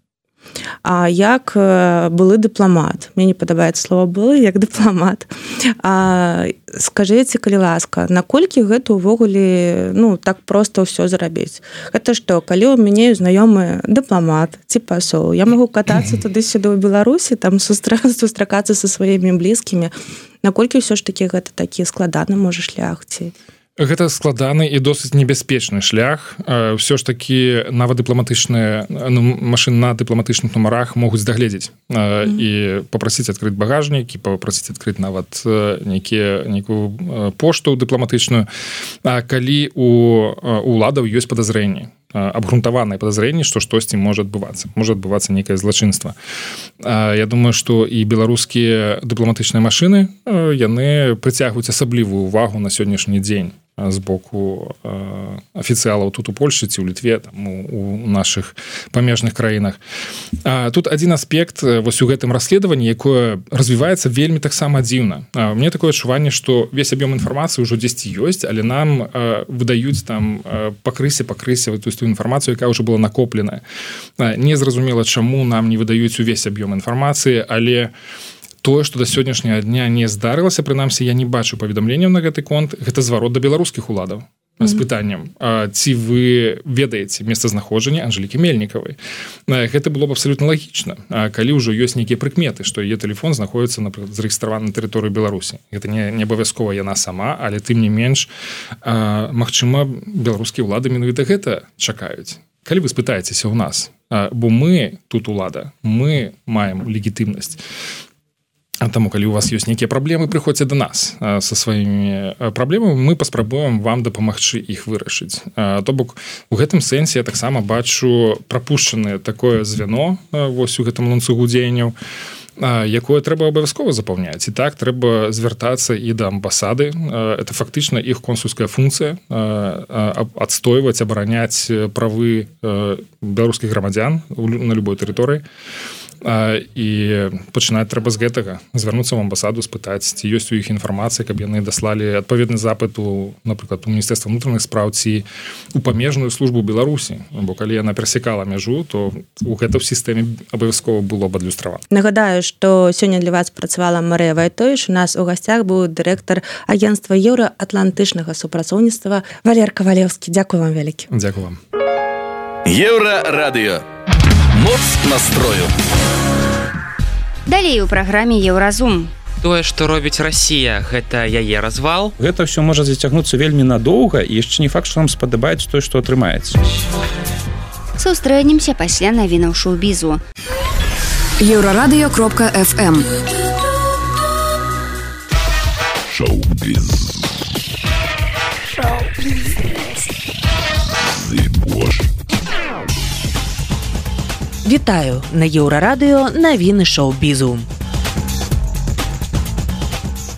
А як былы дыпламат, мне не падабаецца слова былы, як дыпламат, скажыце, калі ласка, наколькі гэта ўвогуле так проста ўсё зрабіць? Гэта што, калі ў мяне знаёмы дыпламат ці пасол, я магу катацца туды-сюды ў Беларусі, там сустракацца са сваімі блізкімі, наколькі ўсё ж такі гэта такі складаны можа шлях ці? Гэта складаны і досыць небяспечны шлях. Ўсё ж такі нават дыпламатычныя машыны на дыпламатычных нумарах могуць дагледзець і папрасіць адкрыць багажнік і папрасіць адкрыць нават нейкую пошту дыпламатычную. Калі у уладаў ёсць падазрэнні, абгрунтаванае падазрэнне, што штосьці можа адбывацца нейкае злачынства. Я думаю, што і беларускія дыпламатычныя машыны яны прыцягваюць асаблівую увагу на сённяшні дзень з боку афіцыялаў тут у Польшчы ці ў Літве, там, у нашых памежных краінах. Тут адзін аспект вось у гэтым расследаванні, якое развіваецца вельмі таксама дзіўна. Мне такое адчуванне, што весь аб'ём інфармацыі ўжо дзесьці ёсць, але нам выдаюць там пакрысе ту інфармацыю, якая ўжо была накопленая. Незразумела, чаму нам не выдаюць увесь аб'ём інфармацыі, але тое, што да сённяшняга дня не здарылася, прынамсі, я не бачу паведамленняў на гэты конт, гэта зварот да беларускіх уладаў з пытаннем, ці вы ведаеце месцазнаходжанне Анжэлікі Мельнікавай. Гэта было б абсалютна лагічна, калі ўжо ёсць нейкія прыкметы, што яе тэлефон знаходзіцца, напрыклад, зарэгістраваны на тэрыторыі Беларусі. Гэта не абавязкова яна сама, але тым не менш, магчыма, беларускія ўлады менавіта гэта чакаюць. Калі вы спытаецеся ў нас, бо мы тут улада, мы маем легітымнасць. Таму, калі у вас ёсць нейкія праблемы, прыходзьце да нас са сваімі праблемамі, мы паспрабуем вам дапамагчы іх вырашыць. То бок, у гэтым сэнсе я таксама бачу прапушчанае такое звяно вось у гэтым ланцугу дзеянняў, якое трэба абавязкова запаўняць. І так, трэба звяртацца і да амбасады. Это фактычна іх консульская функцыя адстойваць, абараняць правы беларускіх грамадзян на любой тэрыторыі. І пачынаць трэба з гэтага, звярнуцца ў амбасаду, спытаць, ці ёсць у іх інфармацыя, каб яны даслалі адпаведны запыт напрыклад, у Міністэрства ўнутраных спраў ці у памежную службу Беларусі. Бо калі яна перасекала мяжу, то у гэта ў сістэме абавязкова было б адлюстравана. Нагадаю, што сёння для вас працавала Марыя Вайтовіч. У нас у гасцях быў дырэктар агенцтва еўраатлантычнага супрацоўніцтва Валер Кавалеўскі. Дзякую вам вялікі. Дзякую вам. Еўрарадыё. Моц настрою. Далей у праграме Еўразум. Тое, што робіць Расія, гэта яе развал. Гэта ўсё можа зацягнуцца вельмі надоўга, і яшчэ не факт, што нам спадабаецца тое, што атрымаецца. Сустрэнемся пасля навінаў шоу-бізу. Еўрарадыё.фм. Шоу-біз. Вітаю, на Еўрарадыё навіны шоу-бізу.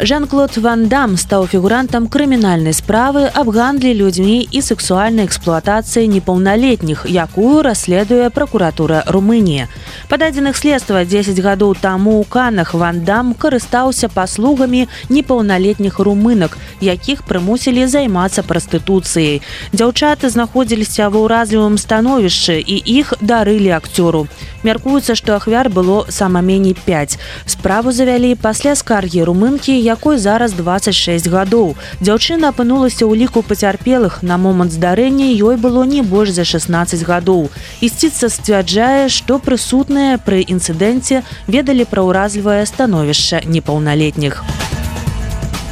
Жан-Клод Ван Дам стаў фігурантам крымінальнай справы аб гандлі людзьмі і сексуальнай эксплуатацыі непаўналетніх, якую расследуе пракуратура Румыніі. Па дадзеных следства 10 гадоў таму ў Канах Ван Дам карыстаўся паслугамі непаўналетніх румынак, якіх прымусілі займацца прастытуцыяй. Дзяўчаты знаходзіліся ва ўразлівым становішчы і іх дарылі акцёру. Мяркуецца, што ахвяр было сама меней 5. Справу завялі пасля скаргі румынкі, якой зараз 26 гадоў. Дзяўчына апынулася ў ліку пацярпелых. На момант здарэння ёй было не больш за 16 гадоў. Ісціца сцвярджае, што прысутныя пры інцыдэнце ведалі пра ўразлівае становішча непаўналетніх.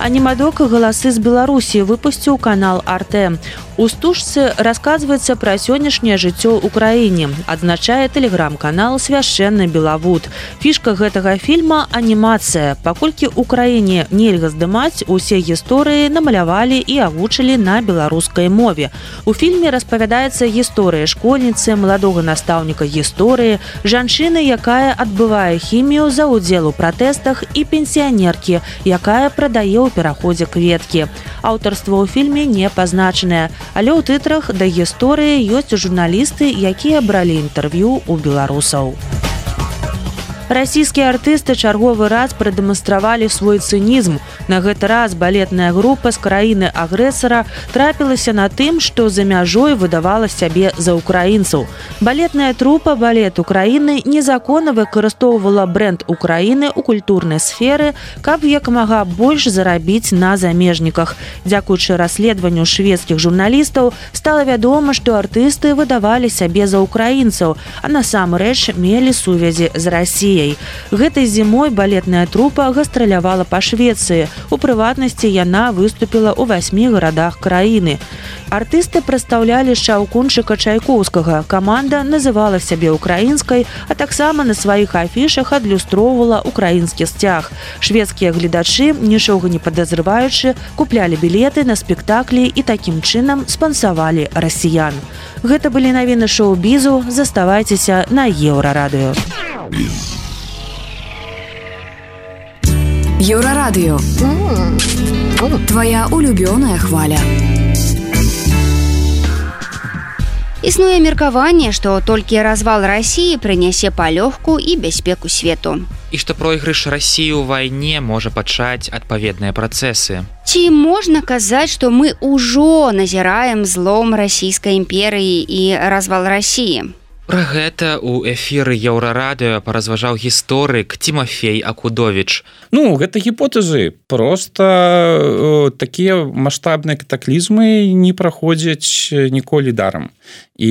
Анімадок «Галасы з Беларусі» выпусціў канал «Арте». У стужцы расказваецца пра сённяшняе жыццё ў краіне, адзначае тэлеграм-канал «Свяшчэнны Белавуд». Фішка гэтага фільма – анімацыя. Паколькі ў краіне нельга здымаць, усе гісторыі намалявалі і агучылі на беларускай мове. У фільме распавядаецца гісторыя школьніцы, маладога настаўніка гісторыі, жанчыны, якая адбывае хімію за ўдзел у пратэстах, і пенсіянеркі, якая прадае ў пераходзе кветкі. Аўтарства ў фільме не пазначанае, але ў тытрах да гісторыі ёсць журналісты, якія бралі інтэрв'ю ў беларусаў. Расійскія артысты чарговы раз прадэманстравалі свой цынізм. На гэты раз балетная група з краіны-агрэсара трапілася на тым, што за мяжой выдавала сябе за украінцаў. Балетная трупа «Балет Украіны» незаконна выкарыстоўвала брэнд Украіны ў культурнай сферы, каб як мага больш зарабіць на замежніках. Дзякуючы расследаванню шведскіх журналістаў стала вядома, што артысты выдавалі сябе за украінцаў, а насамрэч мелі сувязі з Расіяй. Расіяй. Гэтай зімой балетная трупа гастралявала па Швецыі. У прыватнасці яна выступіла ў 8 гарадах краіны. Артысты прадстаўлялі Шаўкунчыка Чайкоўскага. Каманда называла сябе украінскай, а таксама на сваіх афішах адлюстроўвала украінскі сцяг. Шведскія гледачы, нічога не падазрываючы, куплялі білеты на спектаклі і такім чынам спансавалі расіян. Гэта былі навіны шоу-бізу. Заставайцеся на Еўрарадыё. Еўрарадыё. Твоя улюбёная хваля. Існуе меркаванне, што толькі развал Расіі прынясе палёгку і бяспеку свету. І што пройгрыш Расіі ў вайне можа пачаць адпаведныя працэсы. Ці можна казаць, што мы ўжо назіраем злом расійскай імперыі і развал Расіі? Пра гэта ў эфіры Еўрарадыё паразважаў гісторык Тимофей Акудовіч. Ну, гэта гіпотэзы. Проста такія маштабныя катаклізмы не праходзяць ніколі дарам. І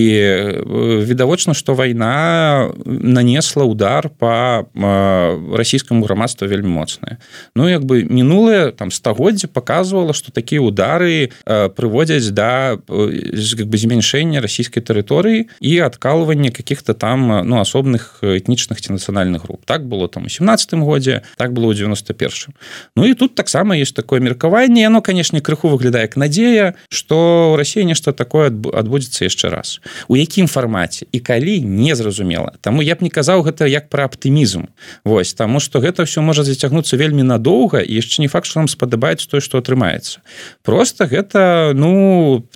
відавочна, што вайна нанесла удар па расійскаму грамадству вельмі моцнае. Ну, як бы мінулае стагоддзе паказвала, што такія удары прыводзяць да змяншэння расійскай тэрыторыі і адкалвання каких-то там асобных этнічных ці нацыянальных груп. Так было у 17 годзе, так было ў 91-м. Ну і тут таксама ёсць такое меркаванне. Яно, канешне, крыху выглядае як надзея, што ў Расіі нешта такое адбудзецца яшчэ раз. У якім фармаце і калі, не зразумела. Таму я б не казаў гэта як пра аптымізм. Вось, таму што гэта ўсё можа зацягнуцца вельмі надоўга і яшчэ не факт, што нам спадабаецца тое, што атрымаецца. Проста гэта,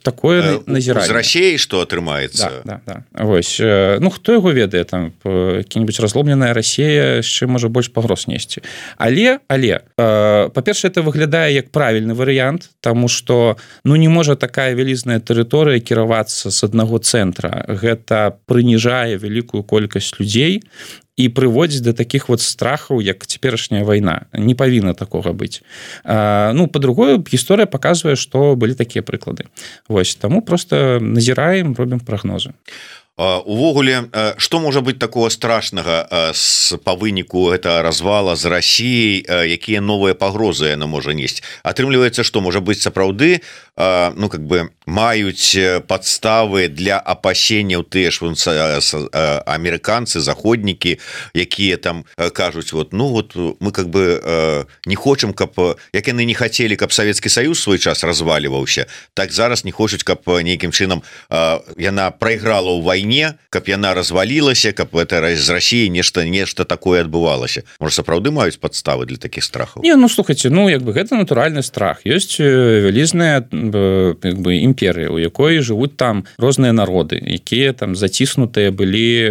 такое назіранне. З Расіяй што атрымаецца? Да. Вось, хто яго ведае, там які-небудзь разломленая Расія яшчэ можа больш пагроз несці. Але па-першае, это выглядае як правільны варыянт, таму што не можа такая вялізная тэрыторыя кіравацца з аднаго цэнтра. Гэта прыніжае вялікую колькасць людзей і прыводзіць да такіх страхаў, як цяперашняя вайна. Не павінна такога быць. Па-другое, гісторыя паказвае, што былі такія прыклады. Вось, таму проста назіраем, робім прагнозы. Увогуле, што можа быць такого страшнага па выніку гэтага развала з Расіяй, якія новыя пагрозы яна можа несці? Атрымліваецца, што можа быць сапраўды маюць падставы для апасенняў тыя ж амерыканцы, заходнікі, якія там кажуць, мы не хочам, як яны не хацелі, каб Савецкі Саюз свой час разваліваўся, так зараз не хочуць, каб нейкім чынам яна прайграла ў вайне, каб яна развалілася, каб з Расіі нешта такое адбывалася. Можа, сапраўды маюць падставы для такіх страхаў? Не, слухайце, гэта натуральны страх. Ёсць вялізная імперыя, у якой жывуць там розныя народы, якія там заціснутыя былі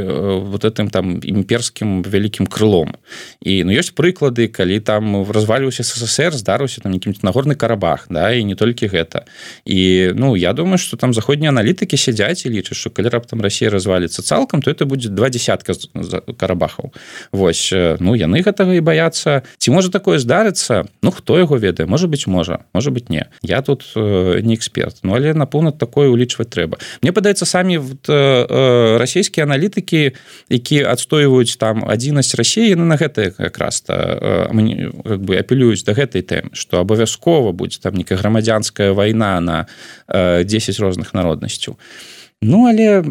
этим там імперскім вялікім крылом. І ёсць прыклады, калі там разваліўся СССР, здарыўся там нейкі Нагорны Карабах, да, і не толькі гэта. І я думаю, што там заходнія аналітыкі сядзяць і лічаць, што калі раптам Расія разваліцца цалкам, то это будзе 20 Карабахаў. Вось, яны гэтага і баяцца. Ці можа такое здарыцца? Хто яго ведае? Можа быць, можа быць, не. Я тут не эксперт, але напэўна такое улічваць трэба. Мне падаецца, самі расійскія аналітыкі, якія адстойваюць там адзінасць Расіі, яны на гэта якраз апелююць да гэтай тэмы, што абавязкова будзе там нейкая грамадзянская вайна на 10 розных народнасцяў. Але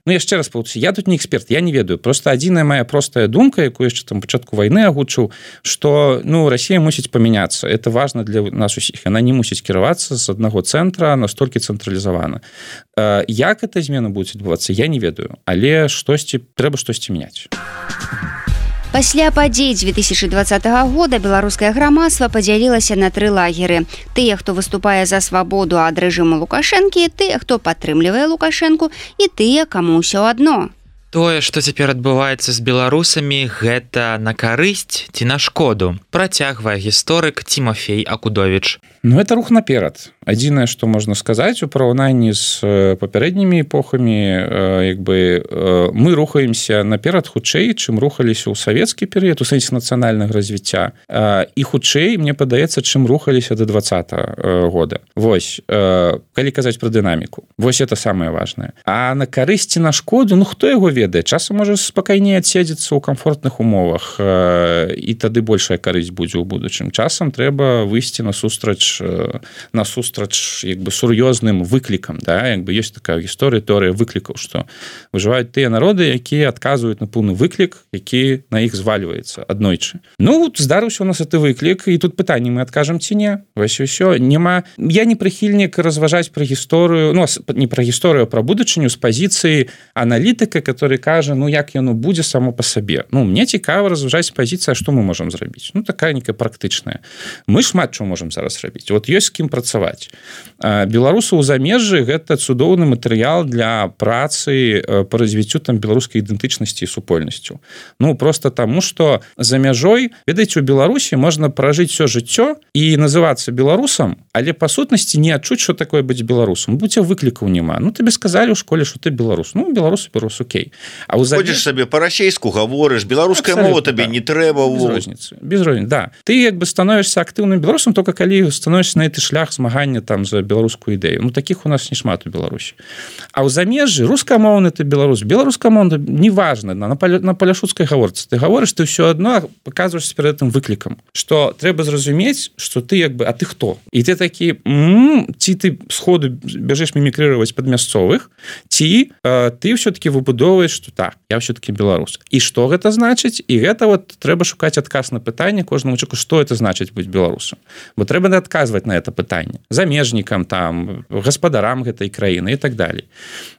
яшчэ раз паўтарюся, я тут не эксперт, я не ведаю. Просто адзіная моя простая думка, якую яшчэ там пачатку вайны агучыў, што Расія мусіць памяняцца. Это важна для нас усіх. Яна не мусіць кіравацца з аднаго цэнтра настолькі цэнтралізавана. Як эта змена будзе адбывацца, я не ведаю. Але трэба штосьці мяняць. Пасля падзей 2020 года беларускае грамадства падзялілася на 3 лагеры. Тыя, хто выступае за свабоду ад рэжыму Лукашэнкі, тыя, хто падтрымлівае Лукашэнку, і тыя, каму ўсё адно. Тое, што цяпер адбываецца з беларусамі, гэта на карысць ці на шкоду, працягвае гісторык Тимофей Акудовіч. Это рух наперад. Адзінае, што можна сказаць у параўнанні з папярэднімі эпохамі, мы рухаемся наперад хутчэй, чым рухаліся ў савецкі перыяд, у сэнсе нацыянальнага развіцця, і хутчэй, мне падаецца, чым рухаліся да 20-го года. Вось, калі казаць пра дынаміку. Вось это самае важнае. А на карысці на шкоду, хто яго ведае? ведае, часам можа спакайней адседзецца ў камфортных умовах, і тады большая карысць будзе ў будучым. Часам трэба выйсці насустрач як бы сур'ёзным выклікам, да? Як бы ёсць такая гісторыя, тэорыя выклікаў, што выжываюць тыя народы, якія адказваюць на пэўны выклік, які на іх звальваецца аднойчы. Ну, здарыўся у нас гэты выклік, і тут пытанне, мы адкажам ці не? Вось і ўсё. Я не прыхільнік разважаць пра гісторыю, ну, не пра гісторыю, а пра будучыню з пазіцыі аналітыка, который кажа, ну, як яно будзе само па сабе. Ну, мне цікава разважаць пазіцыя, што мы можам зрабіць. Ну, такая некая практычная. Мы шмат чого можам зараз рабіць. Вот ёсць з кім працаваць. Беларусы ў замежжы гэта цудоўны матэрыял для працы па развіццю там беларускай ідэнтычнасці і супольнасцю. Ну, просто таму, што за мяжой, ведаеце, у Беларусі можна пражыць всё жыццё і называцца беларусам, але па сутнасці не адчуць, што такое быць беларусам. Будзе выклікаў няма. Ну, тебе сказалі ў школе, што ты беларус. Ну, беларус, окей. А ходзіш сабе па-расейску гаворыш, беларуская мова табе не трэба. Без розніцы, да. Ты як бы становішся актыўным беларусам только калі становішся на гэты шлях змагання там за беларускую ідэю. Ну, такіх у нас не шмат у Беларусі. А ў замежжы рускамоўны ты беларус, беларускамоўны неважна, на паляшуцкай гаворцы. Ты гаворыш, ты ўсё адно паказваешся перад гэтым выклікам, што трэба зразумець, што ты як бы, а ты хто? І ты такі, ці ты сходу бяжэш мімікрыраваць пад мясцовых, ці ты ўсё-таки выбудоўваеш, што так, я ўсё-таки беларус. І што гэта значыць? І гэта вот трэба шукаць адказ на пытанне кожнаму чалавеку, што это значыць быць беларусам. Бо трэба адказваць на это пытанне. Замежнікам, там, гаспадарам гэтай краіны і так далей.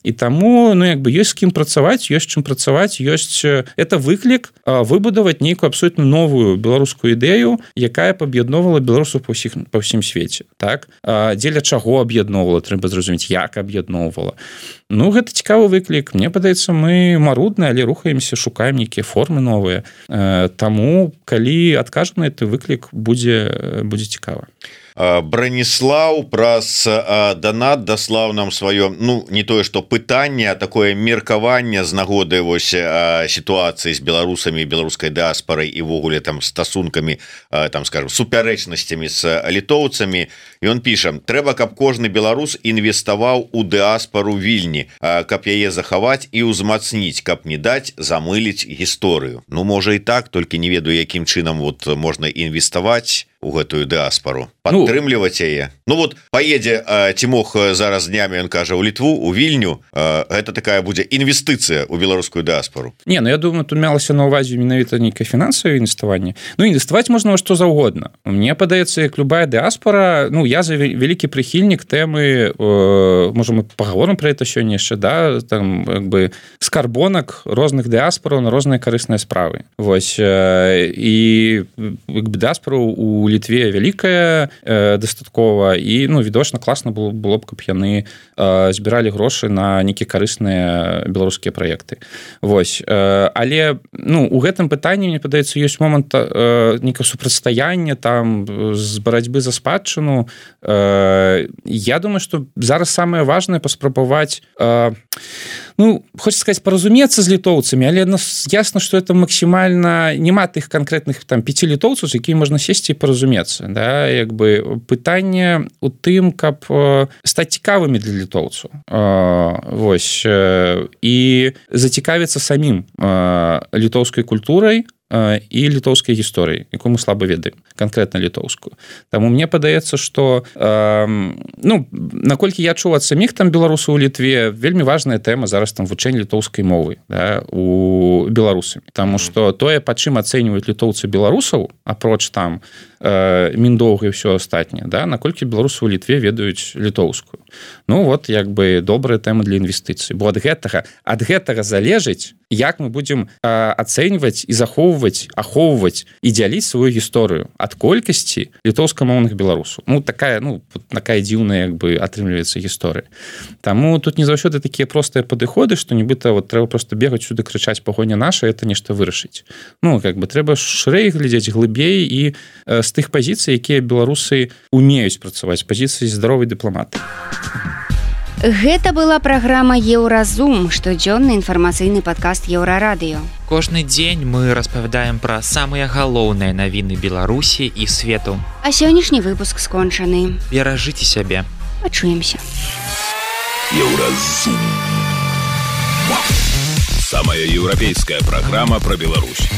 І таму, ну, як бы ёсць з кім працаваць, ёсць чым працаваць, ёсць это выклік выбудаваць нейкую абсолютно новую беларускую ідэю, якая паб'ядноўвала беларусаў па ўсім свеце. Так? Дзеля чаго аб'ядноўвала, трэба зразумець, як аб'ядноўвала. Ну, гэта цікавы выклік. Мне падаецца, мы марудныя, але рухаемся, шукаем нейкія формы новыя. Таму, калі адкажам на гэты выклік, будзе цікава. Браніслаў праз данат даслаў нам сваё, ну, не тое што пытанне, а такое меркаванне з нагоды вось сітуацыі з беларусамі, беларускай дыаспарай і ввогуле там стасункамі, там, скажем, супярэчнасцямі з літоўцамі. Ён піша: трэба, каб кожны беларус інвеставаў у дыаспару Вільні, каб яе захаваць і ўзмацніць, каб не даць замыліць гісторыю. Ну, можа і так, толькі не ведаю, якім чынам вот можна інвеставаць у гэтую дыаспару, падтрымліваць яе. Ну вот поедзе Тимох зараз днямі, ён кажа, у Літву, у Вільню, гэта такая будзе інвестыцыя ў беларускую дыаспару. Не, ну я думаю, тут мелася на ўвазе менавіта нейкае фінансавае інвеставанне. Ну, інвеставаць можна во што заўгодна. Мне падаецца, як любая дыаспара, ну, я за вялікі прыхільнік тэмы, можа, мы пагаворым пра гэта сёння яшчэ, да, там, як бы, скарбонак розных дыаспараў на розныя карысныя справы. Вось, і як бы дыаспара у Літве вялікая дастаткова, і, ну, відочна, класна было б, каб яны збіралі грошы на нейкія карысныя беларускія праекты. Вось. Але, ну, у гэтым пытанні, мне падаецца, ёсць момант нейкага супрацьстаяння там з барацьбы за спадчыну. Я думаю, што зараз самае важнае паспрабаваць, ну, хочется сказать, паразумецца з літоўцамі, але ясна, што это максімальна, няма тых канкрэтных там 5 літоўцаў, з якімі можна сесці і паразумецца, да, як бы пытанне у тым, каб стаць цікавымі для літоўцаў, вось, і зацікавіцца самім літоўскай культурай і літоўскай гісторыі, якую мы слаба ведаем, канкрэтна літоўскую. Таму мне падаецца, што, ну, наколькі я чуў ад саміх там беларусаў у Літве, вельмі важная тэма зараз там вучэнне літоўскай мовы, да, у беларусамі. Таму што тое, па чым ацэньваюць літоўцы беларусаў, апроч там міндоўга і ўсё астатняе, да, наколькі беларусы ў Літве ведаюць літоўскую. Ну, вот, як бы, добрая тэма для інвестыцый. Бо ад гэтага залежыць, як мы будзем ацэньваць і захоўваць, ахоўваць і дзяліць сваю гісторыю ад колькасці літоўскамоўных беларусаў. Ну, такая дзіўная, як бы, атрымліваецца гісторыя. Таму тут не заўсёды такія простыя падыходы, што нібыта вот трэба проста бегаць сюды, крычаць пагоня наша, это нешта вырашыць. Ну, як бы, трэба шырэй глядзець, глыбей і з тых пазіцый, якія беларусы умеюць працаваць, пазіцыі здаровай дыпламаты. Гэта была праграма Еўразум, штодзённы інфармацыйны падкаст Еўрарадыё. Кожны дзень мы распавядаем пра самыя галоўныя навіны Беларусі і свету. А сённяшні выпуск скончаны. Беражыце сябе. Пачуемся. Еўразум. Самая европейская программа про Беларусь.